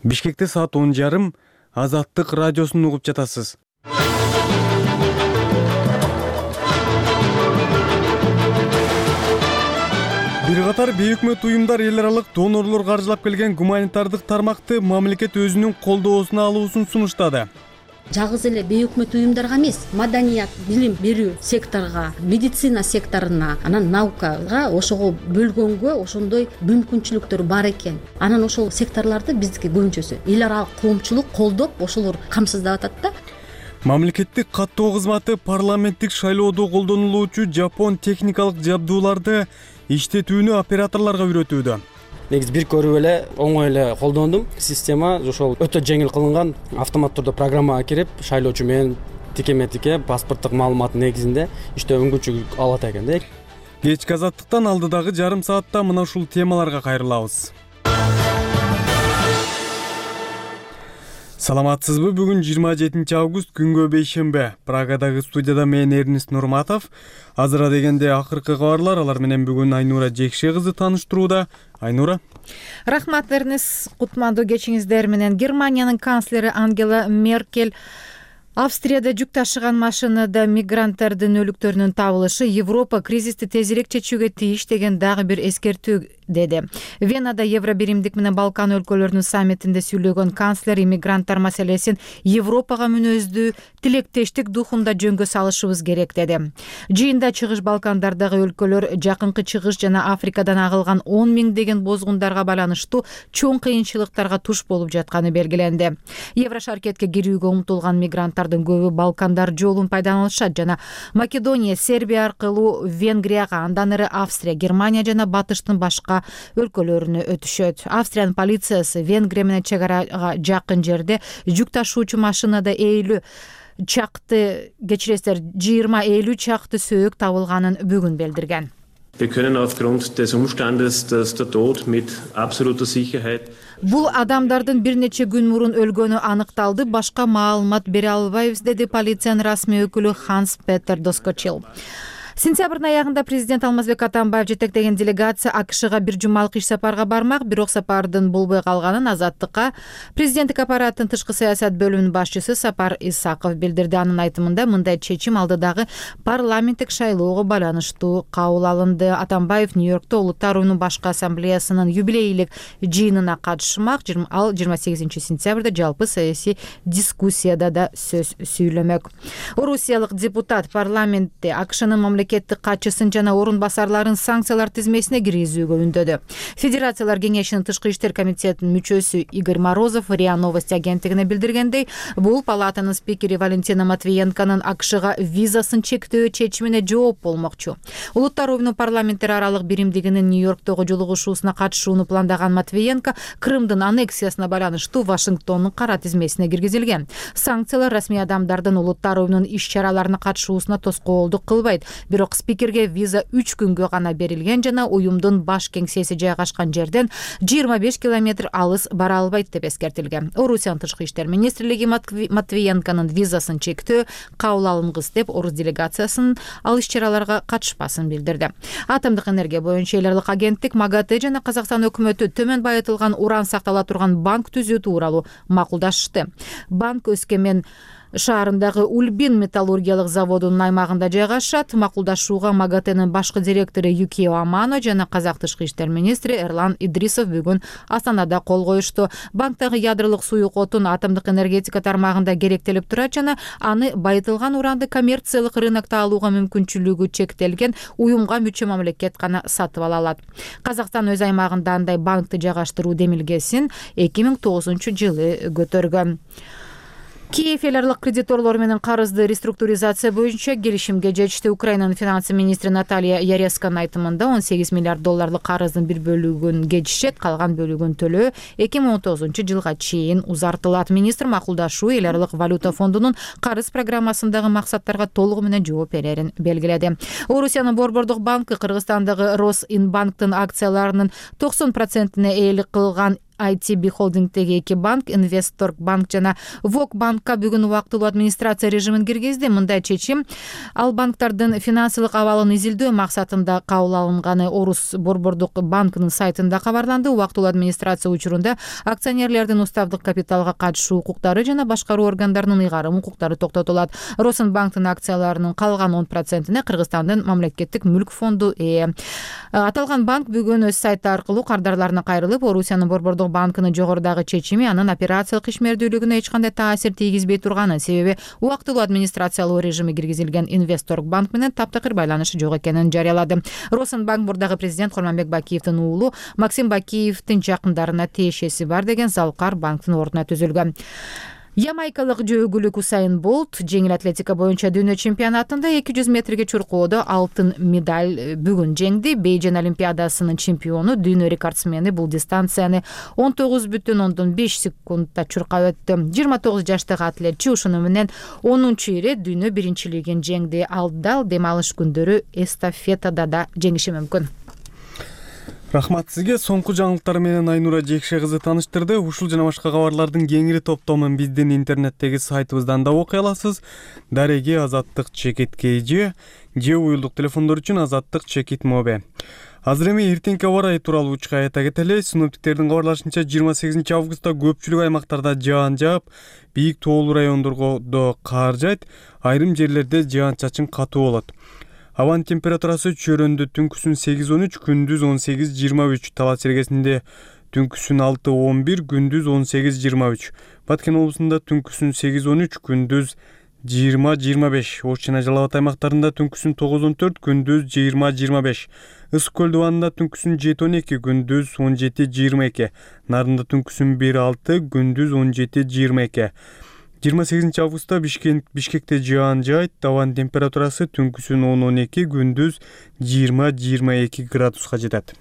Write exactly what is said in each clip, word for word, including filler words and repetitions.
Бишкекте саат он жарым Азаттык радиосун угуп жатасыз. Бир катар бейөкмөт уюмдар эл аралык донорлор каржылап келген гуманитардык тармакты мамлекет өзүнүн колдоосуна алуусун сунуштады. Жалгыз эле бейөкмөт уюмдарга эмес, маданият, билим берүү секторуна, медицина секторуна, анан наукага ошого бөлгөнгө ошондой мүмкүнчүлүктөр бар экен. Анан ошол секторлорду биздики көбүнчөсү эл аралык коомчулук колдоп, ошолор камсыздап атат да. Мамлекеттик каттоо кызматы парламенттик шайлоодо колдонулуучу жапон техникалык жабдууларды иштетүүнү операторлорго үйрөтүүдө. Негизи бир көрүп эле оңой эле колдондум. Система ошол өтө жеңил кылынган, автомат түрдө программага кирип, шайлоочу менен тикеме-тике паспорттук маалымат негизинде иштөө мүмкүнчүлүк алат экен да. Кечки азаттыктан алдыдагы жарым саатта мына ушул темаларга кайрылабыз. Саламатсызбы? Бүгүн жыйырма жетинчи август күнгө бейшембе. Прагадагы студияда мен Эрнист Нурматов. Азыра дегенде акыркы кабарлар, алар менен бүгүн Айнура Жекше кызы тааныштырууда. Айнура. Рахмат Эрнист, кутмандуу кечиңиздер менен. Германиянын канцлери Ангела Меркель Австрияда жүк ташыган машинада мигранттардын өлүктөрүнүн табылышы Европа кризисти тезирээк чечүүгө тийиш деген дагы бир эскертүү деди. Венада Евро биримдик менен Балкан өлкөлөрүнүн саммитинде сүйлөгөн канцлер иммигранттар маселесин Европага мүнөздүү тилектештик духунда жөнгө салышыбыз керек деди. Жыйында Чыгыш Балкандардагы өлкөлөр жакынкы Чыгыш жана Африкадан агылган он миңдеген бозгундарга байланыштуу чоң кыйынчылыктарга туш болуп жатканы белгиленди. Евро шаркетке кирүүгө умтулган мигранттардын көбү Балкандар жолун пайдаланышат жана Македония, Сербия аркылуу Венгрияга, андан ары Австрия, Германия жана батыштын башка өлкөлөрүнө өтүшөт. Австриянын полициясы Венгрия менен чек арага жакын жерде жүк ташуучу машинада элүү чакты кечиресиздер жыйырма элүү чакты сөөк табылганын бүгүн билдирген. Wir können aufgrund des Umstandes, dass der Tod mit absoluter Sicherheit Бул адамдардын бир нече күн мурун өлгөнү аныкталды, башка маалымат бере албайбыз, деди полициянын расмий өкүлү Ханс Петер Доскочил. Сентябрдын аягында президент Алмазбек Атамбаев жетектеген делегация АКШга бир жумалык иш сапарга бармак, бирок сапардын болбой калганын Азаттыкка президенттик аппараттын тышкы саясат бөлүмүнүн башчысы Сапар Исаков билдирди. Анын айтымында мындай чечим алдыдагы парламенттик шайлоого байланыштуу кабыл алынды. Атамбаев Нью-Йоркто Улуттар уюмунун башкы ассамблеясынын юбилейлик жыйынына катышмак. Ал жыйырма сегизинчи сентябрда жалпы саясий дискуссияда да сөз сүйлөмөк. Орусиялык депутат парламентте АКШнын мамлекеттик катчысын жана орун басарларын санкциялар тизмесине киргизүүгө үндөдү. Федерациялар кеңешинин тышкы иштер комитетинин мүчөсү Игорь Морозов РИА Новости агенттигине билдиргендей, бул палатанын спикери Валентина Матвиенконун АКШга визасын чектөө чечимине жооп болмокчу. Улуттар уюмунун парламенттер аралык биримдигинин Нью-Йорктогу жолугушуусуна катышууну пландаган Матвиенко Крымдын аннексиясына байланыштуу Вашингтондун кара тизмесине киргизилген. Санкциялар расмий адамдардын улуттар уюмунун иш-чараларына катышуусуна тоскоолдук кылбайт. Бирок спикерге виза үч күнгө гана берилген жана уюмдун баш кеңсеси жайгашкан жерден жыйырма беш километр алыс бара албайт деп эскертилген. Орусиянын тышкы иштер министрлиги Матвиенконун визасын чектөө кабыл алынгыс деп орус делегациясынын ал иш-чараларга катышпасын билдирди. Атомдук энергия боюнча эл аралык агенттик МАГАТЭ жана Казакстан өкмөтү төмөн байытылган уран сактала турган банк түзүү тууралуу макулдашты. Банк Өскемен шаарындагы Ульбин металлургиялык заводунун аймагында жайгашат. Макулдашууга МАГАТЭнин башкы директору Юкио Амано жана Казак тышкы иштер министри Эрлан Идрисов бүгүн Астанада кол коюшту. Банктагы ядролук суюк отун атомдук энергетика тармагында керектелип турат жана аны байытылган уранды коммерциялык рынокто алууга мүмкүнчүлүгү чектелген уюмга мүчө мамлекет гана сатып ала алат. Казакстан өз аймагында андай банкты жайгаштыруу демилгесин эки миң тогузунчу жылы көтөргөн. Киев эл аралык кредиторлор менен карызды реструктуризация боюнча келишимге жетишти. Украинанын финансы министри Наталья Яресканын айтымында он сегиз миллиард долларлык карыздын бир бөлүгүн кечишет, калган бөлүгүн төлөө эки миң он тогузунчу жылга чейин узартылат. Министр макулдашуу эл аралык валюта фондунун карыз программасындагы максаттарга толугу менен жооп берерин белгиледи. Орусиянын Борбордук банкы Кыргызстандагы Росинбанктын акцияларынын токсон процентине ээлик кылган ай ти би холдингдеги эки банк Инвестторг банк жана Вок банкка бүгүн убактылуу администрация режимин киргизди. Мындай чечим ал банктардын финансылык абалын изилдөө максатында кабыл алынганы Орус борбордук банкынын сайтында кабарланды. Убактылуу администрация учурунда акционерлердин уставдык капиталга катышуу укуктары жана башкаруу органдарынын ыйгарым укуктары токтотулат. Росенбанктын акцияларынын калган он процентине Кыргызстандын мамлекеттик мүлк фонду ээ. Аталган банк бүгүн өз сайты аркылуу кардарларына кайрылып, Орусиянын борбордук банкынын жогорудагы чечими анын операциялык ишмердүүлүгүнө эч кандай таасир тийгизбей турганын, себеби убактылуу администрациялуу режими киргизилген Инвестторг банк менен таптакыр байланышы жок экенин жарыялады. Росенбанк мурдагы президент Курманбек Бакиевдин уулу Максим Бакиевдин жакындарына тиешеси бар деген Залкар банктын ордуна түзүлгөн. Ямайкалык жөөгүлүк Усайн Болт жеңил атлетика боюнча дүйнө чемпионатында эки жүз метрге чуркоодо алтын медаль бүгүн жеңди. Бейжин олимпиадасынын чемпиону, дүйнө рекордсмени бул дистанцияны он тогуз бүтүн ондон беш секундда чуркап өттү. жыйырма тогуз жаштагы атлетчи ушуну менен онунчу ирет дүйнө биринчилигин жеңди. Ал дал дем алыш күндөрү эстафетада да жеңиши мүмкүн. Рахмат сизге. Соңку жаңылыктар менен Айнура Жекше кызы тааныштырды. Ушул жана башка кабарлардын кеңири топтомун биздин интернеттеги сайтыбыздан да окуй аласыз. Дареги Азаттык Чекит Кейже же уюлдук телефондор үчүн Азаттык Чекит Мобе. Азыр эми эртеңки аба ырайы тууралуу учка айта кетели. Синоптиктердин кабарлашынча жыйырма сегизинчи августта көпчүлүк аймактарда жаан жаап, бийик тоолуу райондордо кар жайт, айрым жерлерде жаан-чачын катуу болот. Абанын температурасы чөйрөндө түнкүсүн сегиз он үч, күндүз он сегиз жыйырма үч, Талас Сергесинде түнкүсүн алты он бир, күндүз он сегиз жыйырма үч. Баткен облусунда түнкүсүн сегиз он үч, күндүз жыйырма жыйырма беш. Ош жана Жалал Абад аймактарында түнкүсүн тогуз он төрт, күндүз жыйырма жыйырма беш. Ысык көл дубанында түнкүсүн жети он эки, күндүз он жети жыйырма эки. Нарында түнкүсүн бир алты, күндүз он жети жыйырма эки. жыйырма сегизинчи августта Бишкек, Бишкекте жаан жайт, абанын температурасы түнкүсүн он он эки, күндүз жыйырма жыйырма эки градуска жетет.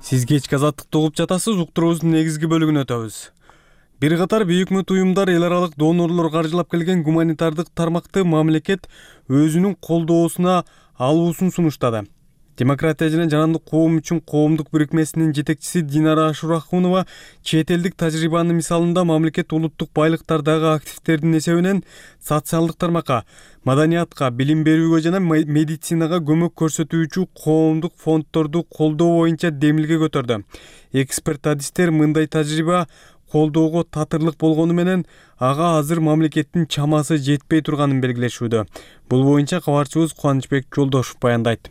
Сиз кечки азаттыкты угуп жатасыз. Уктуруубуздун негизги бөлүгүнө өтөбүз. Бир катар бейөкмөт уюмдар, эл аралык донорлор каржылап келген гуманитардык тармакты мамлекет өзүнүн колдоосуна алуусун сунуштады. Демократия жана жарандык коом үчүн коомдук бирикмесинин жетекчиси Динара Ашурахунова чет элдик тажрыйбанын мисалында мамлекет улуттук байлыктардагы активдердин эсебинен социалдык тармакка, маданиятка, билим берүүгө жана медицинага көмөк көрсөтүүчү коомдук фонддорду колдоо боюнча демилге көтөрдү. Эксперт адистер мындай тажрыйба колдоого татырлык болгону менен ага азыр мамлекеттин чамасы жетпей турганын белгилешүүдө. Бул боюнча кабарчыбыз Кубанычбек Жолдошов баяндайт.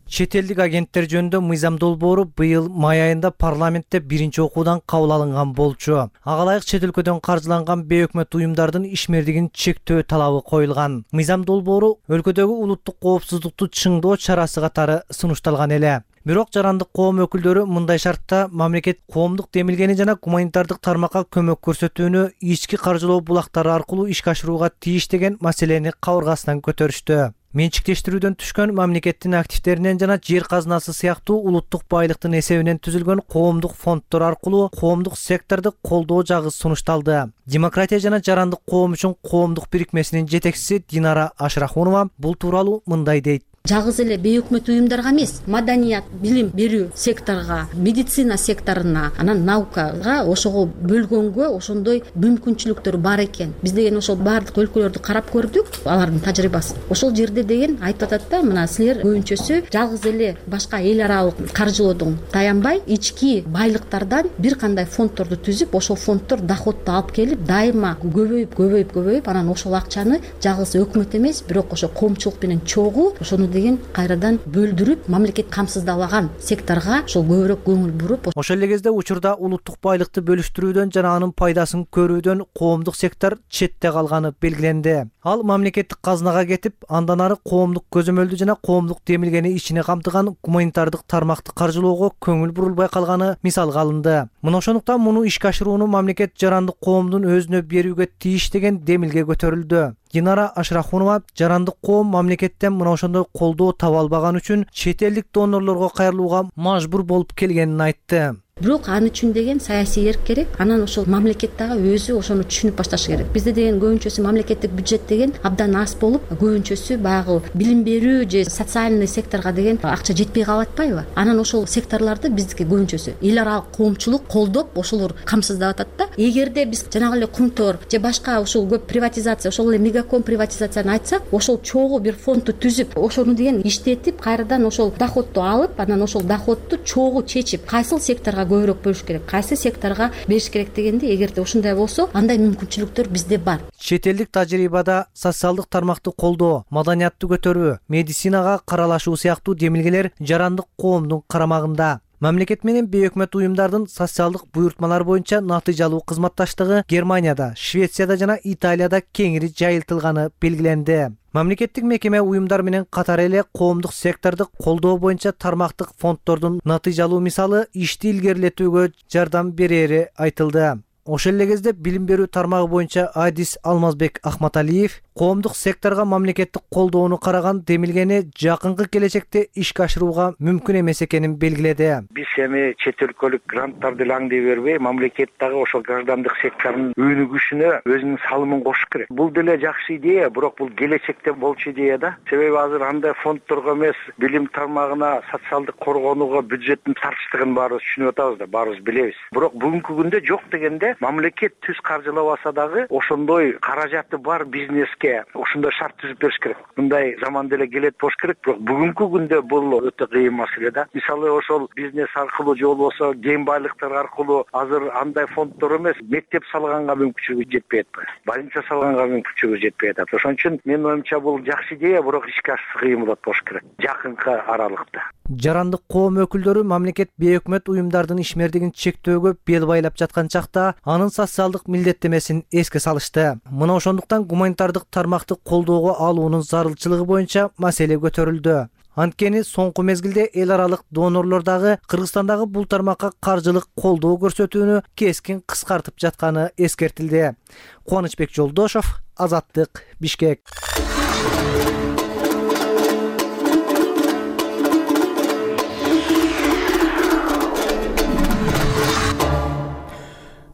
Чет элдик агенттер жөнүндө мыйзам долбоору быйыл май айында парламентте биринчи окуудан кабыл алынган болчу. Ага ылайык чет өлкөдөн каржыланган бейөкмөт уюмдардын ишмердигин чектөө талабы коюлган. Мыйзам долбоору өлкөдөгү улуттук коопсуздукту чыңдоо чарасы катары сунушталган эле. Бирок жарандык коом өкүлдөрү мындай шартта мамлекет коомдук демилгени жана гуманитардык тармакка көмөк көрсөтүүнү ички каржылоо булактары аркылуу ишке ашырууга тийиш деген маселени кабыргасынан көтөрүштү. Менчиктештирүүдөн түшкөн мамлекеттин активдеринен жана жер казынасы сыяктуу улуттук байлыктын эсебинен түзүлгөн коомдук фонддор аркылуу коомдук секторду колдоо жагы сунушталды. Демократия жана жарандык коом үчүн коомдук бирикмесинин жетекчиси Динара Ашрахунова бул тууралуу мындай дейт. Жалгыз эле бейөкмөт уюмдарга эмес, маданият, билим берүү секторуна, медицина секторуна, анан наукага ошого бөлгөнгө ошондой мүмкүнчүлүктөр бар экен. Биз деген ошол баардык өлкөлөрдү карап көрдүк, алардын тажрыйбасын. Ошол жерде деген айтып атат да, мына силер көбүнчөсү жалгыз эле башка эл аралык каржылоодон таянбай, ички байлыктардан бир кандай фонддорду түзүп, ошол фонддор доходду алып келип, дайыма көбөйүп, көбөйүп, көбөйүп, анан ошол акчаны жалгыз өкмөт эмес, бирок ошо коомчулук менен чогуу ошону деген кайрадан бөлдүрүп, мамлекет камсыздабаган секторго ошол көбүрөөк көңүл буруп. Ошол эле кезде учурда улуттук байлыкты бөлүштүрүүдөн жана анын пайдасын көрүүдөн коомдук сектор четте калганы белгиленди. Ал мамлекеттик казынага кетип, андан ары коомдук көзөмөлдү жана коомдук демилгени ичине камтыган гуманитардык тармакты каржылоого көңүл бурулбай калганы мисалга алынды. Мына ошондуктан муну ишке ашырууну мамлекет жарандык коомдун өзүнө берүүгө тийиш деген демилге көтөрүлдү. Динара Ашрахунова жарандык коом мамлекеттен мына ошондой колдоо таба албаган үчүн чет элдик донорлорго кайрылууга мажбур болуп келгенин айтты. бирок аны үчүн деген саясий эрк керек. Анан ошол мамлекет дагы өзү ошону түшүнүп башташы керек. Бизде деген көбүнчөсү мамлекеттик бюджет деген абдан аз болуп, көбүнчөсү баягы билим берүү же социальный секторго деген акча жетпей калып атпайбы? Анан ошол секторлорду биздики көбүнчөсү эл аралык коомчулук колдоп, ошолор камсыздап атат да. Эгерде биз жанагы эле Кумтор же башка ушул көп приватизация, ошол эле Мегаком приватизацияны айтсак, ошол чогуу бир фондду түзүп, ошону деген иштетип, кайрадан ошол доходду алып, анан ошол доходду чогуу чечип, кайсыл секторго көбүрөөк бөлүш керек, кайсы секторго бериш керек дегенде, эгерде ушундай болсо, андай мүмкүнчүлүктөр бизде бар. Чет элдик тажрыйбада социалдык тармакты колдоо, маданиятты көтөрүү, медицинага каралашуу сыяктуу демилгелер жарандык коомдун карамагында. Мамлекет менен бейөкмөт уюмдардын социалдык буйртмалар боюнча натыйжалуу кызматташтыгы Германияда, Швецияда жана Италияда кеңири жайылтылганы белгиленди. Мамлекеттик мекеме уюмдар менен катар эле коомдук секторду колдоо боюнча тармактык фонддордун натыйжалуу мисалы ишти илгерилетүүгө жардам берери айтылды. Ошол эле кезде билим берүү тармагы боюнча Адис Алмазбек Ахматалиев коомдук секторго мамлекеттик колдоону караган демилгени жакынкы келечекте ишке ашырууга мүмкүн эмес экенин белгиледи. Биз эми чет өлкөлүк гранттарды лаңдый бербей, мамлекет дагы ошол граждандык сектордун өнүгүшүнө өзүнүн салымын кошуш керек. Бул деле жакшы идея, бирок бул келечекте болчу идея да. Себеби азыр андай фонддорго эмес, билим тармагына, социалдык коргонууга бюджеттин тартыштыгын баарыбыз түшүнүп атабыз да, баарыбыз билебиз. Бирок бүгүнкү күндө жок дегенде мамлекет түз каржылабаса дагы ошондой каражаты бар бизнеске ошондой шарт түзүп бериш керек. Мындай заман деле келет болуш керек, бирок бүгүнкү күндө бул өтө кыйын маселе да. Мисалы ошол бизнес аркылуу же болбосо кем байлыктар аркылуу азыр андай фонддор эмес, мектеп салганга мүмкүнчүлүгү жетпей атпайбы, больница салганга мүмкүнчүлүгү жетпей атат. Ошон үчүн менин оюмча бул жакшы идея, бирок ишке ашышы кыйын болот болуш керек жакынкы аралыкта. Жарандык коом өкүлдөрү мамлекет бейөкмөт уюмдардын ишмердигин чектөөгө бел байлап жаткан чакта анын социалдык милдеттемесин эске салышты. Мына ошондуктан гуманитардык тармакты колдоого алуунун зарылчылыгы боюнча маселе көтөрүлдү. Анткени соңку мезгилде эл аралык донорлор дагы Кыргызстандагы бул тармакка каржылык колдоо көрсөтүүнү кескин кыскартып жатканы эскертилди. Кубанычбек Жолдошов, Азаттык, Бишкек.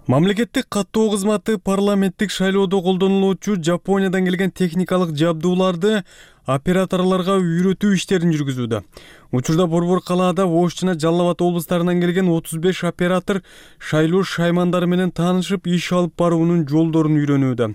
Мамлекеттик каттоо кызматы парламенттик шайлоодо колдонулуучу Жапониядан келген техникалык жабдууларды операторлорго үйрөтүү иштерин жүргүзүүдө. Учурда Борбор калаада Ош жана Жалал Абад облустарынан келген отуз беш оператор шайлоо шаймандары менен таанышып, иш алып баруунун жолдорун үйрөнүүдө.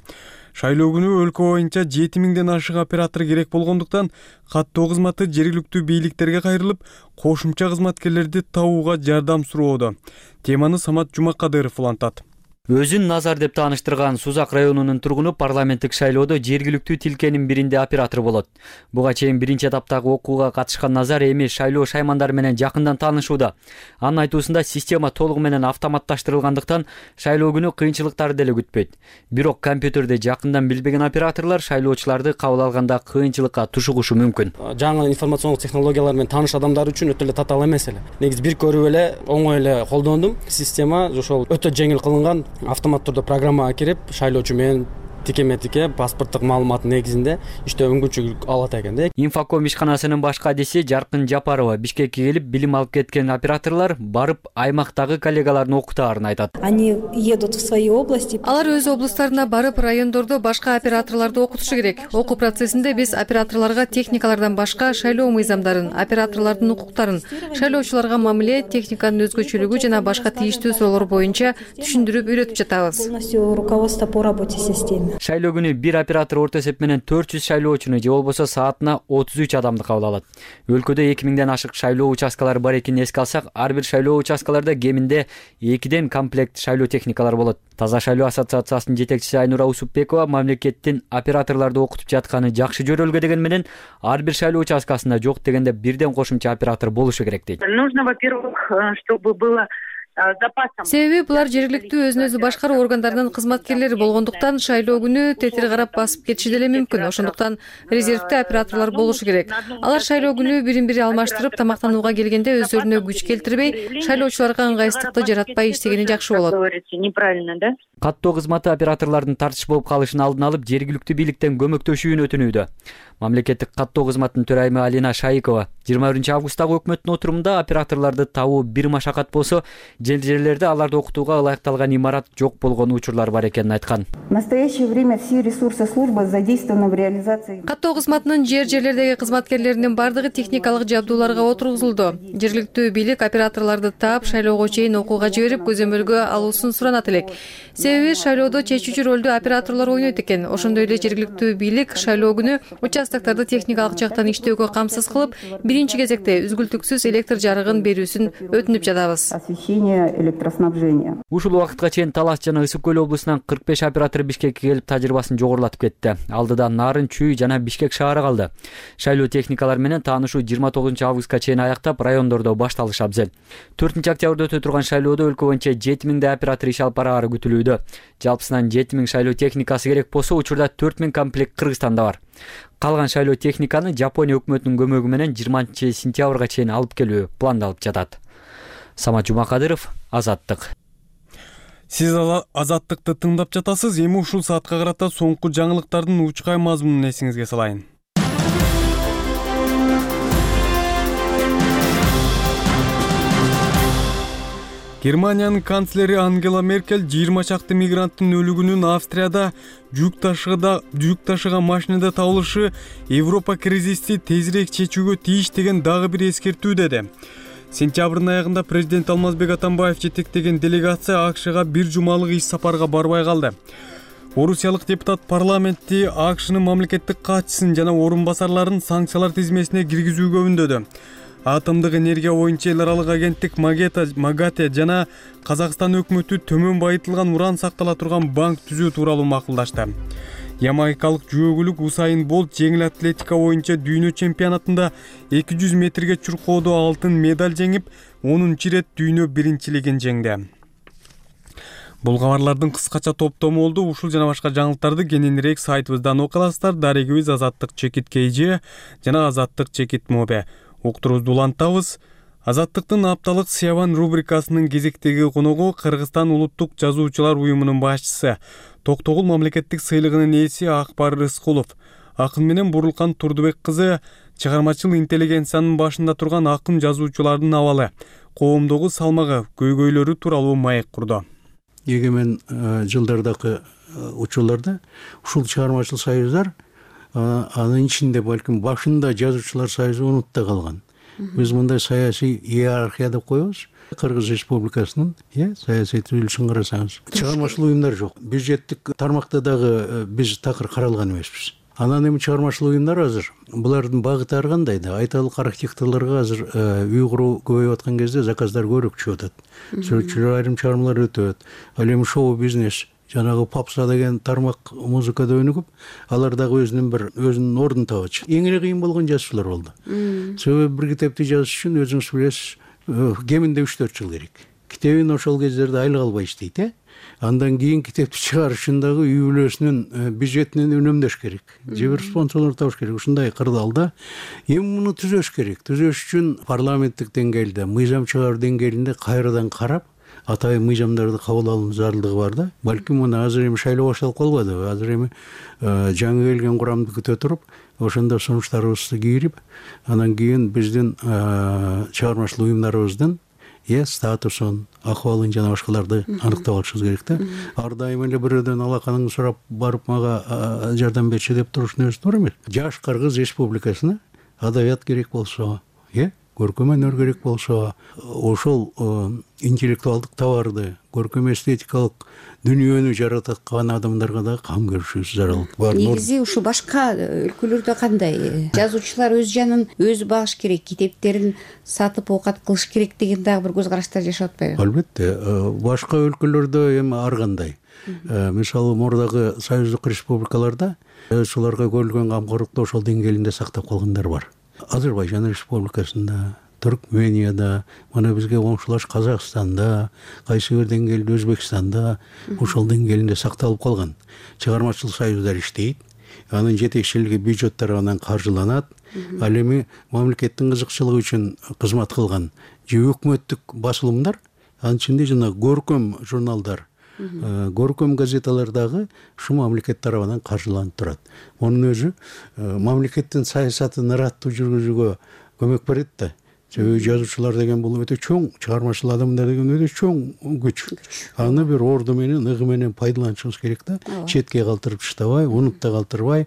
Шайлоо күнү өлкө боюнча жети миңден ашык оператор керек болгондуктан каттоо кызматы жергиликтүү бийликтерге кайрылып, кошумча кызматкерлерди табууга жардам суроодо. Теманы Самат Жумакадыров улантат. Өзүн Назар деп тааныштырган Сузак районунун тургуну парламенттик шайлоодо жергиликтүү тилкенин биринде оператор болот. Буга чейин биринчи этаптагы окууга катышкан Назар эми шайлоо шаймандары менен жакындан таанышууда. Анын айтуусунда система толугу менен автоматташтырылгандыктан шайлоо күнү кыйынчылыктарды деле күтпөйт. Бирок компьютерди жакындан билбеген операторлор шайлоочуларды кабыл алганда кыйынчылыкка тушугушу мүмкүн. Жаңы информациондук технологиялар менен тааныш адамдар үчүн өтө эле татаал эмес эле. Негизи бир көрүп эле оңой эле колдондум. Система ошол өтө жеңил кылынган. Автомат түрдө программага кирип, шайлоочу менен тикеме-тике паспорттук маалымат негизинде иштөө мүмкүнчүлүк алат экен да. Инфоком ишканасынын баш кадиси Жаркын Жапарова Бишкекке келип, билим алып кеткен операторлор барып аймактагы коллегаларын окутаарын айтат. Они едут в свои области. Алар өз облустарына барып, райондордо башка операторлорду окутушу керек. Окуу процессинде биз операторлорго техникалардан башка шайлоо мыйзамдарын, операторлордун укуктарын, шайлоочуларга мамиле, техниканын өзгөчөлүгү жана башка тийиштүү суроолор боюнча түшүндүрүп үйрөтүп жатабыз. Полностью руководство по работе системы. Шайлоо күнү бир оператор орто эсеп менен төрт жүз шайлоочуну же болбосо саатына отуз үч адамды кабыл алат. Өлкөдө эки миңден ашык шайлоо участкалары бар экенин эске алсак, ар бир шайлоо участкаларда кеминде экиден комплект шайлоо техникалары болот. Таза шайлоо ассоциациясынын жетекчиси Айнура Усупбекова мамлекеттин операторлорду окутуп жатканы жакшы жөрөлгө деген менен ар бир шайлоо участкасында жок дегенде бирден кошумча оператор болушу керек дейт. Нужно, во-первых, чтобы было Себеби булар жергиликтүү өзүн өзү башкаруу органдарынын кызматкерлери болгондуктан шайлоо күнү тетир карап басып кетиши деле мүмкүн. Ошондуктан резервдүү операторлор болушу керек. Алар шайлоо күнү бирин бири алмаштырып, тамактанууга келгенде өздөрүнө күч келтирбей, шайлоочуларга ыңгайсыздыкты жаратпай иштегени жакшы болот. Неправильно, да? Каттоо кызматы операторлордун тартыш болуп калышын алдын алып, жергиликтүү бийликтен көмөктөшүүнү өтүнүүдө. Мамлекеттик каттоо кызматынын төрайымы Алина Шайыкова жыйырма биринчи августтагы өкмөттүн отурумунда операторлорду табуу бир машакат болсо, жер жерлерде аларды окутууга ылайыкталган имарат жок болгон учурлар бар экенин айткан. В настоящее время все ресурсы службы задействованы в реализации. Каттоо кызматынын жер жерлердеги кызматкерлеринин бардыгы техникалык жабдууларга отургузулду. Жергиликтүү бийлик операторлорду таап, шайлоого чейин окууга жиберип, көзөмөлгө алуусун суранат элек. Себеби шайлоодо чечүүчү ролду операторлор ойнойт экен. Ошондой эле жергиликтүү бийлик шайлоо күнү участокторду техникалык жактан иштөөгө камсыз кылып, биринчи кезекте үзгүлтүксүз электр жарыгын берүүсүн өтүнүп жатабыз. Освещение, электроснабжение. Ушул убакытка чейин Талас жана Ысык көл облусунан кырк беш оператор Бишкекке келип тажрыйбасын жогорулатып кетти. Алдыда Нарын, Чүй жана Бишкек шаары калды. Шайлоо техникалар менен таанышуу жыйырма тогузунчу августка чейин аяктап, райондордо башталышы абзел. төртүнчү октябрда өтө турган шайлоодо өлкө боюнча жети миңдей оператор иш алып бараары күтүлүүдө. Жалпысынан жети миң шайлоо техникасы керек болсо, учурда төрт миң комплект Кыргызстанда бар. Калган шайлоо техниканы Жапония өкмөтүнүн көмөгү менен жыйырманчы сентябрга чейин алып келүү пландалып жатат. Самат Жумакадыров, Азаттык. Сиз Азаттыкты тыңдап жатасыз. Эми ушул саатка карата соңку жаңылыктардын учкай мазмунун эсиңизге салайын. Германиянын канцлери Ангела Меркель жыйырма чакты мигранттын өлүгүнүн Австрияда жүк ташыгыда жүк ташыган машинада табылышы Европа кризисти тезирээк чечүүгө тийиш деген дагы бир эскертүү деди. Сентябрдын аягында президент Алмазбек Атамбаев жетектеген делегация АКШга бир жумалык иш сапарга барбай калды. Орусиялык депутат парламентти АКШнын мамлекеттик катчысын жана орун басарларын санкциялар тизмесине киргизүүгө үндөдү. Атомдук энергия боюнча эл аралык агенттик МАГАТЭ жана Казакстан өкмөтү төмөн байытылган уран сактала турган банк түзүү тууралуу макулдашты. Ямайкалык жүөгүлүк Усайн Болт жеңил атлетика боюнча дүйнө чемпионатында эки жүз метрге чуркоодо алтын медаль жеңип, онунчу ирет дүйнө биринчилигин жеңди. Бул кабарлардын кыскача топтому болду. Ушул жана башка жаңылыктарды кененирээк сайтыбыздан окуй аласыздар. Дарегибиз Азаттык чекит kg жана Азаттык чекит mobi. Уктурубузду улантабыз. Азаттыктын апталык Сиябан рубрикасынын кезектеги коногу Кыргызстан улуттук жазуучулар уюмунун башчысы, Токтогул мамлекеттик сыйлыгынын ээси Акбар Рыскулов. Акын менен Бурулкан Турдубек кызы чыгармачыл интеллигенциянын башында турган акын жазуучулардын абалы, коомдогу салмагы, көйгөйлөрү тууралуу маек курду. Эгемен жылдардагы учурларда ушул чыгармачыл союздар анын ичинде балким башында жазуучулар союзу унутта калган. Биз мындай саясий иерархия деп коебуз. Кыргыз Республикасынын э саясий түзүлүшүн карасаңыз, чыгармачыл уюмдар жок. Бюджеттик тармакта дагы биз такыр каралган эмеспиз. Анан эми чыгармачыл уюмдар азыр булардын багыты ар кандай да, айталык архитекторлорго азыр үй куруу көбөйүп аткан кезде заказдар көбүрөөк чыгып атат. Сүрөтчүлөр айрым чыгармалар өтөт. Ал эми шоу бизнес жанагы попса деген тармак музыкада өнүгүп, алар дагы өзүнүн бир өзүнүн ордун табачы. Эң эле кыйын болгон жазуучулар болду. Себеби бир китепти жазыш үчүн өзүңүз билесиз, кеминде үч төрт жыл керек. Китебин ошол кездерде айлык албай иштейт, э? Андан кийин китепти чыгарыш үчүн дагы үй бүлөсүнүн бюджетинен үнөмдөш керек. Же бир спонсорлор табыш керек. Ушундай кырдаалда эми муну түзөш керек. Түзөш үчүн парламенттик деңгээлде, мыйзам чыгаруу деңгээлинде кайрадан карап, атайын мыйзамдарды кабыл алуу зарылдыгы бар да. Балким мына азыр эми шайлоо башталып калбадыбы? Азыр эми жаңы келген курамды күтө туруп, ошондо сунуштарыбызды кийирип, анан кийин биздин чыгармачыл уюмдарыбыздын э статусун, акыбалын жана башкаларды аныктап алышыбыз керек да. Ар дайым эле бирөөдөн алаканыңды сурап барып мага жардам берчи деп турушун өзү туура эмес. Жаш Кыргыз Республикасына адабият керек болсо, э көркөм өнөр керек болсо, ошол интеллектуалдык товарды, көркөм эстетикалык дүйнөнү жараткан адамдарга да кам көрүшүбүз зарыл. Негизи ушу башка өлкөлөрдө кандай? Жазуучулар өз жанын өзү багыш керек, китептерин сатып оокат кылыш керек деген дагы бир көз караштар жашап атпайбы? Албетте, башка өлкөлөрдө эми ар кандай. Мисалы, мурдагы союздук республикаларда жазуучуларга көрүлгөн камкорлукту ошол деңгээлинде сактап калгандар бар. Азербайжан Республикасында, Түркменияда, мына бизге коңшулаш Казакстанда, кайсы бир деңгээлде Өзбекстанда ошол деңгээлинде сакталып калган. Чыгармачыл союздар иштейт, анын жетекчилиги бюджеттер анан каржыланат. Ал эми мамлекеттин кызыкчылыгы үчүн кызмат кылган же өкмөттүк басылымдар, анын ичинде жана көркөм журналдар, көркөм газеталар дагы ушу мамлекет тарабынан каржыланып турат. Мунун өзү мамлекеттин саясатын ыраттуу жүргүзүүгө көмөк берет да. Себеби жазуучулар деген бул өтө чоң, чыгармачыл адамдар деген өтө чоң күч. Аны бир орду менен, ыгы менен пайдаланышыбыз керек да. Четке калтырып таштабай, унутта калтырбай.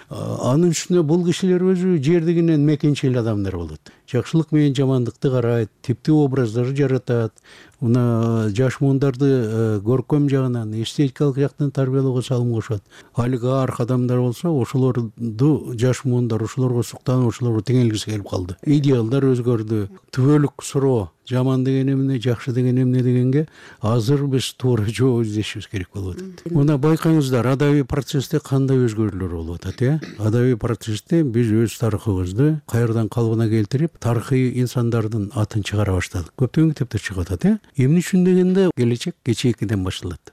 Анын үстүнө бул кишилер өзү жердигинен мекенчил адамдар болот. Жакшылык менен жамандыкты карайт, типтүү образдар жаратат. Мына жаш муундарды көркөм жагынан, эстетикалык жактан тарбиялоого салым кошот. Олигарх адамдар болсо, ошолорду жаш муундар ошолорго суктанып, ошолорго теңелгиси келип калды. Идеалдар өзгөрдү. Түбөлүк суроо, жаман деген эмне, жакшы деген эмне дегенге азыр биз туура жооп издешибиз керек болуп атат. Мына байкаңыздар, адабий процессте кандай өзгөрүүлөр болуп атат, э? Адабий процессте биз өз тарыхыбызды кайрадан калыбына келтирип, тарыхый инсандардын атын чыгара баштадык. Көптөгөн китептер чыгып атат, э? Эмне үчүн дегенде келечек кечээкиден башталат.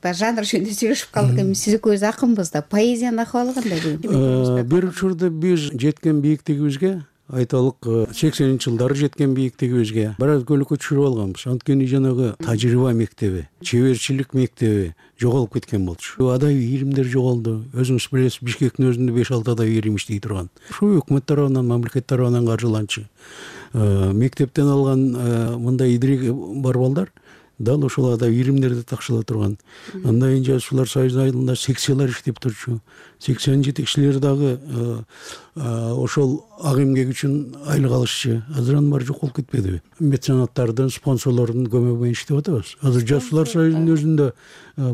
Жанр жөнүндө сүйлөшүп калдык. Эми сиз экөөбүз акынбыз да. Поэзиянын акыбалы кандай? Бир учурда биз жеткен бийиктигибизге, айталык сексенинчи жылдары жеткен бийиктигибизге бир аз көлөкө түшүрүп алганбыз. Анткени жанагы тажрыйба мектеби, чеберчилик мектеби жоголуп кеткен болчу. Адабий илимдер жоголду. Өзүңүз билесиз, Бишкектин өзүндө беш алты адабий илим иштей турган. Ушу өкмөт тарабынан, мамлекет тарабынан каржыланчу. Мектептен алган мындай идиреги бар балдар дал ошол адабий илимдерди такшыла турган. Андан кийин жазуучулар союзунун айылында секциялар иштеп турчу. Секциянын жетекчилери дагы ошол ак эмгек үчүн айлык алышчу. Азыр анын баары жок болуп кетпедиби? Меценаттардын, спонсорлордун көмөгү менен иштеп атабыз. Азыр жазуучулар союзунун өзүндө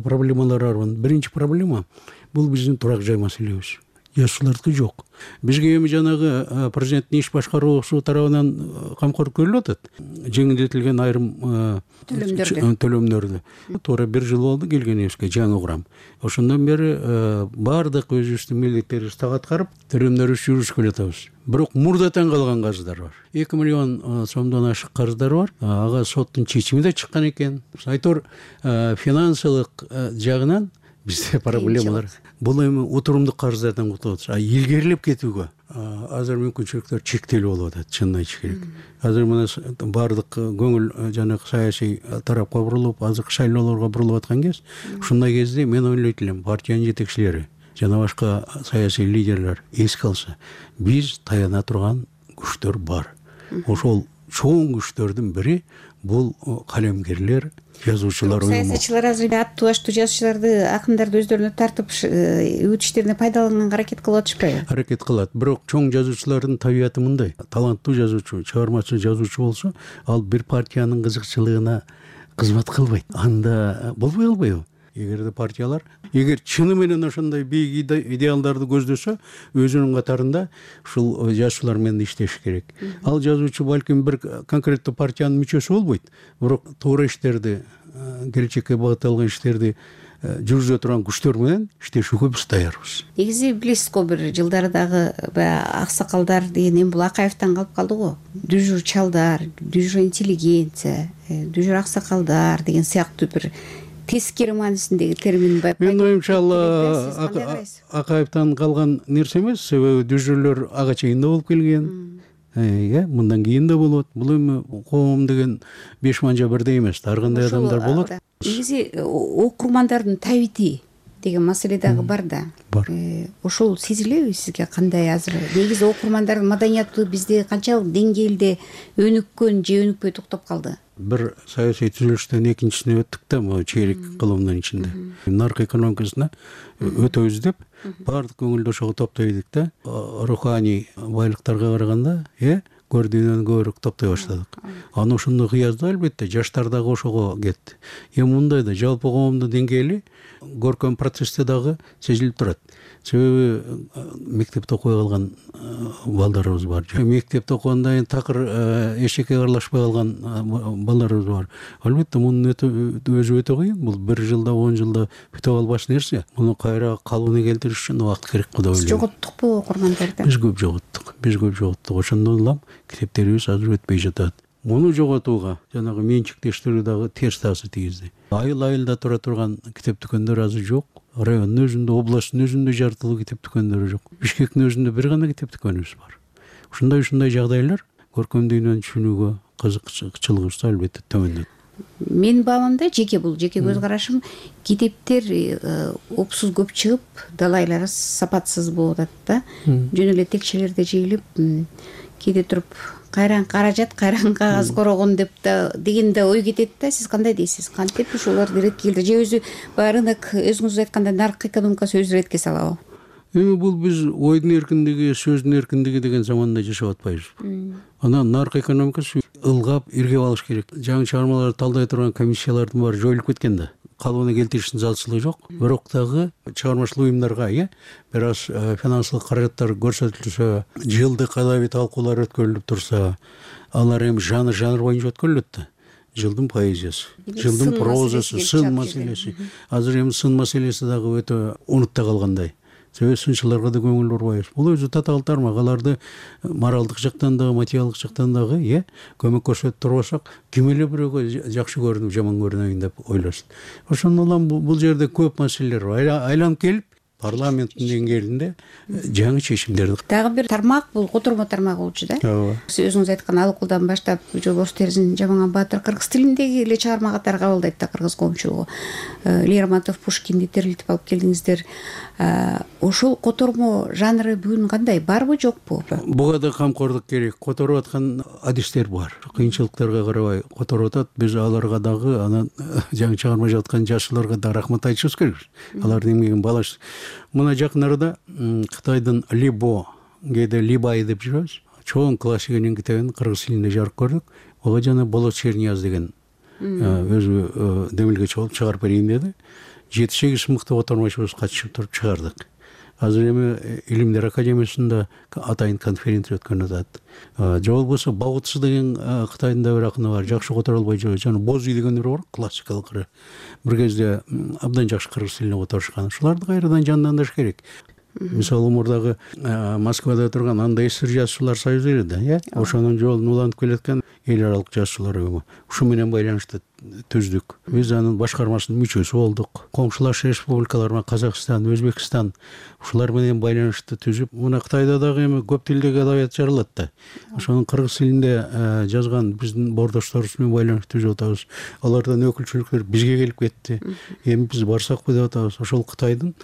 проблемалар бар. Биринчи проблема бул биздин турак жай маселебиз. Жазуучулардыкы жок. Бизге эми жанагы президенттин иш башкаруусу тарабынан камкор көрүлүп атат. Жеңилдетилген айрым төлөмдөрдү. Туура бир жыл болду келгенибизге жаңы курам. Ошондон бери баардык өзүбүздүн милдеттерибизди так аткарып, төлөмдөрүбүздү жүргүзүп келатабыз. Бирок мурдатан калган карыздар бар. эки миллион сомдон ашык карыздар бар. Ага соттун чечими да чыккан экен. Айтор финансылык жагынан бизде проблемалар. Бул эми отурумдук карыздардан кутулат. А илгерилеп кетүүгө азыр мүмкүнчүлүктөр чектелүү болуп атат, чынын айтыш керек. Азыр мына баардык көңүл жанагы саясий тарапка бурулуп, азыркы шайлоолорго бурулуп аткан кез, ушундай кезде мен ойлойт элем, партиянын жетекчилери жана башка саясий лидерлер эске алса, биз таяна турган күчтөр бар. Ошол чоң күчтөрдүн бири бул калемгерлер, жазуучулар уюму. Саясатчылар азыр аттуу баштуу жазуучуларды, акындарды өздөрүнө тартып, өз иштерине пайдаланганга аракет кылып атышпайбы? Аракет кылат. Бирок чоң жазуучулардын табияты мындай. Таланттуу жазуучу, чыгармачы жазуучу болсо, ал бир партиянын кызыкчылыгына кызмат кылбайт. Анда болбой албайбы? Эгерде партиялар, эгер чыны менен ошондой бийик идеалдарды көздөсө, өзүнүн катарында ушул жазуучулар менен иштеш керек. Ал жазуучу балким бир конкреттүү партиянын мүчөсү болбойт, бирок туура иштерди, келечекке багытталган иштерди жүргүзө турган күчтөр менен иштешүүгө биз даярбыз. Негизи билесиз го, бир жылдары дагы аксакалдар деген эми бул Акаевтан калып калды го. Дүжүр чалдар, дүжүр интеллигенция, дүжүр аксакалдар деген сыяктуу бир тескери маанисиндеги термин бар. Мен оюмча ал Акаевтан калган нерсе эмес, себеби дүжүрлөр ага чейин да болуп келген. Э, мындан кийин да болот. Бул эми коом деген беш манжа бирдей эмес, ар кандай адамдар болот. Негизи окурмандардын табити деген маселе дагы бар да. Бар. Ошол сезилеби сизге кандай азыр? Негизи окурмандардын маданияты бизде канчалык деңгээлде өнүккөн же өнүкпөй токтоп калды? Бир саясий түзүлүштөн экинчисине өттүк да, могу чейлик кылымдын ичинде. Нарк экономикасына өтөбүз деп баардык көңүлдү ошого топтой элек да. Руханий байлыктарга караганда, э, көрдүгүнөн көбүрөөк топтой баштадык. Аны ошондой кыязда албетте жаштар дагы ошого кетти. Эми мындай да жалпы коомдун деңгээли көркөм процессте дагы сезилип турат. Себеби мектепте окуй калган балдарыбыз бар. Мектепте окугандан кийин такыр эшекке аралашпай калган балдарыбыз бар. Албетте мунун өзү өтө кыйын. Бул бир жылда, он жылда бүтө албаш нерсе. Муну кайра калыбына келтириш үчүн убакыт керек го деп ойлойм. Жоготтукпу окурмандарды? Биз көп жоготтук. Биз көп жоготтук. Ошондон улам китептерибиз азыр өтпөй жатат. Муну жоготууга жанагы менчиктештирүү дагы терс таасир тийгизди. Айыл айылда тура турган китеп дүкөндөр азыр жок. Райондун өзүндө, областтын өзүндө жартылуу китеп дүкөндөрү жок. Бишкектин өзүндө бир гана китеп дүкөнүбүз бар. Ушундай ушундай жагдайлар көркөм дүйнөнү түшүнүүгө кызыкчылыгыбызды албетте төмөндөтөт. Менин баамымда жеке бул жеке көз карашым, китептер опсуз көп чыгып, далайлары сапатсыз болуп атат да. Жөн эле текчелерде жыйылып, кээде туруп кайран каражат кайран кагаз корогон деп да деген да ой кетет да. Сиз кандай дейсиз? Кантип ушулар иретке келди же өзү баягы рынок өзүңүз айткандай нарк экономикасы өзү иретке салабы? Эми бул биз ойдун эркиндиги, сөздүн эркиндиги деген заманда жашап атпайбыз. Анан нарк экономикасы ылгап иргеп алыш керек. Жаңы чыгармаларды талдай турган комиссиялардын баары жоюлуп кеткен да. Калыбына келтириштин залчылыгы жок. Бирок дагы чыгармачыл уюмдарга э бир аз финансылык каражаттар көрсөтүлсө, жылдык адабий талкуулар өткөрүлүп турса, алар эми жанр жанр боюнча өткөрүлөт да. Жылдын поэзиясы, жылдын прозасы, сын маселеси. Азыр эми сын маселеси дагы өтө унутта калгандай. Себеби сынчыларга да көңүл бурбайбыз. Бул өзү татаал тармак. Аларды моралдык жактан дагы, материалдык жактан дагы э көмөк көрсөтүп турбасак, ким эле бирөөгө жакшы көрүнүп, жаман көрүнөйүн деп ойлосын. Ошондон улам бул жерде көп маселелер бар. Айланып келип парламенттин деңгээлинде жаңы чечимдерди. Дагы бир тармак бул котормо тармагы болчу да. Ооба. Сиз өзүңүз айткан ал укулдан баштап Жолбош Терзин Жаманган Баатыр кыргыз тилиндеги эле чыгарма катары кабылдайт да кыргыз коомчулугу. Лермонтов, Пушкинди терилтип алып келдиңиздер. Ошол котормо жанры бүгүн кандай? Барбы, жокпу? Буга да камкордук керек. Которуп аткан адистер бар. Кыйынчылыктарга карабай которуп атат. Биз аларга дагы анан жаңы чыгарма жаткан жашыларга да рахмат айтышыбыз керек. Алардын эмгегин баалаш. Мына жакын арада Кытайдын Либо, кээде Либай деп жүрөбүз. Чоң классиканын китебин кыргыз тилинде жарык көрдүк. Ага жана Болот Чернияз деген өзү демилгечи болуп чыгарып берейин деди. жети сегиз мыкты котормочубуз катышып туруп чыгардык. Азыр эми Илимдер академиясында атайын конференция өткөн атат. Же болбосо Баутсы деген Кытайдын да бир акыны бар, жакшы которо албай жүрөт. Жана Боз үй деген бир бар, классикалык ыры. Бир кезде абдан жакшы кыргыз тилине которушкан. Ушуларды кайрадан жандандырыш керек. Мисалы мурдагы Москвада турган андай сыр жазуучулар союзу эле да, э? Ошонун жолун улантып келаткан эл аралык жазуучулар уюму. Ушу менен байланышты түздүк. Биз анын башкармасынын мүчөсү болдук. Коңшулаш республикалар, Казакстан, Өзбекстан ушулар менен байланышты түзүп, мына Кытайда дагы эми көп тилдеги адабият жаралат да. Ошонун кыргыз тилинде жазган биздин бордошторубуз менен байланышты түзүп атабыз. Алардан өкүлчүлүктөр бизге келип кетти. Эми биз барсакпы деп атабыз. Ошол Кытайдын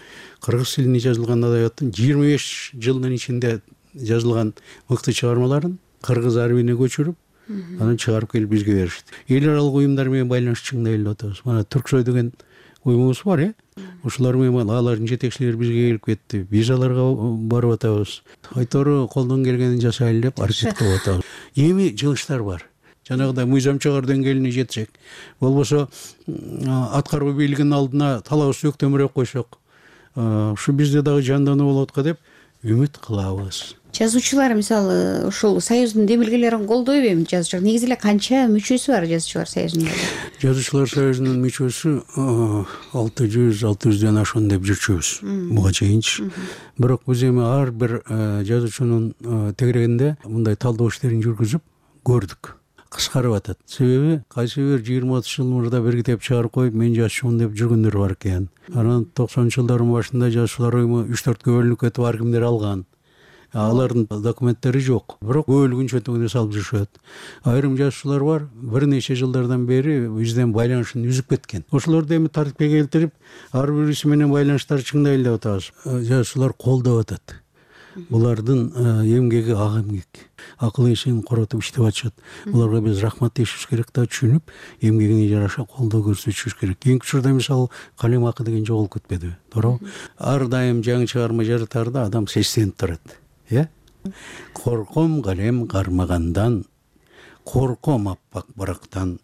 кыргыз тилине жазылган адабияттын жыйырма беш жылдын ичинде жазылган мыкты чыгармаларын кыргыз арабине көчүрүп, анан чыгарып келип бизге беришти. Эл аралык уюмдар менен байланыш чыңдай эле атабыз. Мына Түрксой деген уюмубуз бар, э? Ушулар менен алардын жетекчилери бизге келип кетти. Биз аларга барып атабыз. Айтору колдон келгенин жасайлы деп аракет кылып атабыз. Эми жылыштар бар. Жанагыдай мыйзам чыгаруу деңгээлине жетсек, болбосо аткаруу бийлигинин алдына талабыбызды өктөмүрөөк койсок, ушу бизде дагы жандануу болот го деп үмүт кылабыз. Жазуучулар мисалы ушул союздун демилгелерин колдойбу эми жазуучулар? Негизи эле канча мүчөсү бар жазуучулар союзунда? Жазуучулар союзунун мүчөсү алты жүз алты жүздөн ашкан деп жүрчүбүз буга чейинчи. Бирок биз эми ар бир жазуучунун тегерегинде мындай талдоо иштерин жүргүзүп көрдүк. Кыскарып атат. Себеби кайсы бир жыйырма отуз жыл мурда бир китеп чыгарып коюп, мен жазчумун деп жүргөндөр бар экен. Анан токсонунчу жылдардын башында жазуучулар уюму үч төрткө бөлүнүп кетип ар кимдер алган. Алардын документтери жок. Бирок бөлүгүн чөтүгүнө салып жүрүшөт. Айрым жазуучулар бар, бир нече жылдардан бери бизден байланышын үзүп кеткен. Ошолорду эми тартипке келтирип, ар бириси менен байланыштарды чыңдайлы деп атабыз. Жазуучулар колдоп атат. Булардын эмгеги ак эмгек. Акыл эсин коротуп иштеп атышат. Буларга биз рахмат дешибиз керек да, түшүнүп, эмгегине жараша колдоо көрсөтүшүбүз керек. Эң учурда мисалы калем акы деген жоголуп кетпедиби? Туура. Ар дайым жаңы чыгарма жаратарда адам сестенип турат. Э? Корком калем кармагандан, корком аппак барактан,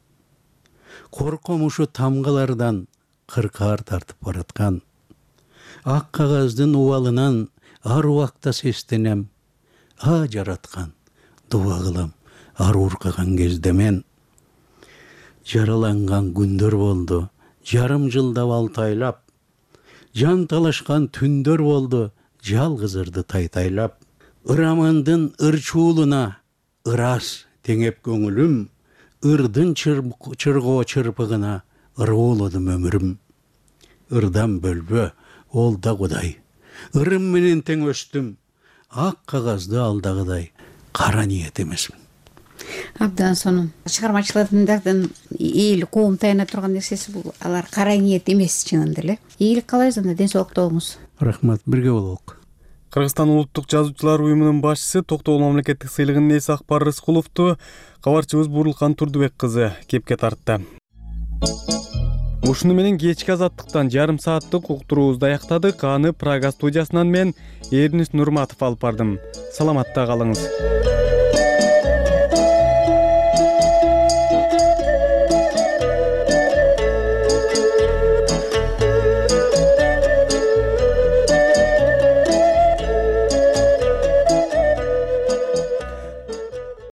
корком ушу тамгалардан кыркаар тартып бараткан. Ак кагаздын убалынан ар убакта сестенем, а жараткан дуба кылам ар уркаган кезде мен. Жараланган күндөр болду, жарым жылдап алтайлап, жан талашкан түндөр болду, жалгыз ырды тайтайлап. Ырамандын ырчуулуна ырас теңеп көңүлүм, ырдын чыргоо чырпыгына ыруулудум өмүрүм. Ырдан бөлбө, ол да Кудай. Ырым менен тең өстүм, ак кагазды алдагыдай кара ниет эмесмин. Абдан сонун. Чыгармачылардын эл коом таяна турган нерсеси бул, алар кара ниет эмес чынында эле. Ийгилик каалайбыз, анда ден соолукта болуңуз. Рахмат, бирге бололук. Кыргызстан улуттук жазуучулар уюмунун башчысы Токтогул мамлекеттик сыйлыгынын ээси Акбар Рыскуловду кабарчыбыз Бурулкан Турдубек кызы кепке тартты. Ушуну менен кечки азаттыктан жарым сааттык уктуруубузду аяктадык. Аны Прага студиясынан мен Эрнис Нурматов алып бардым. Саламатта калыңыз.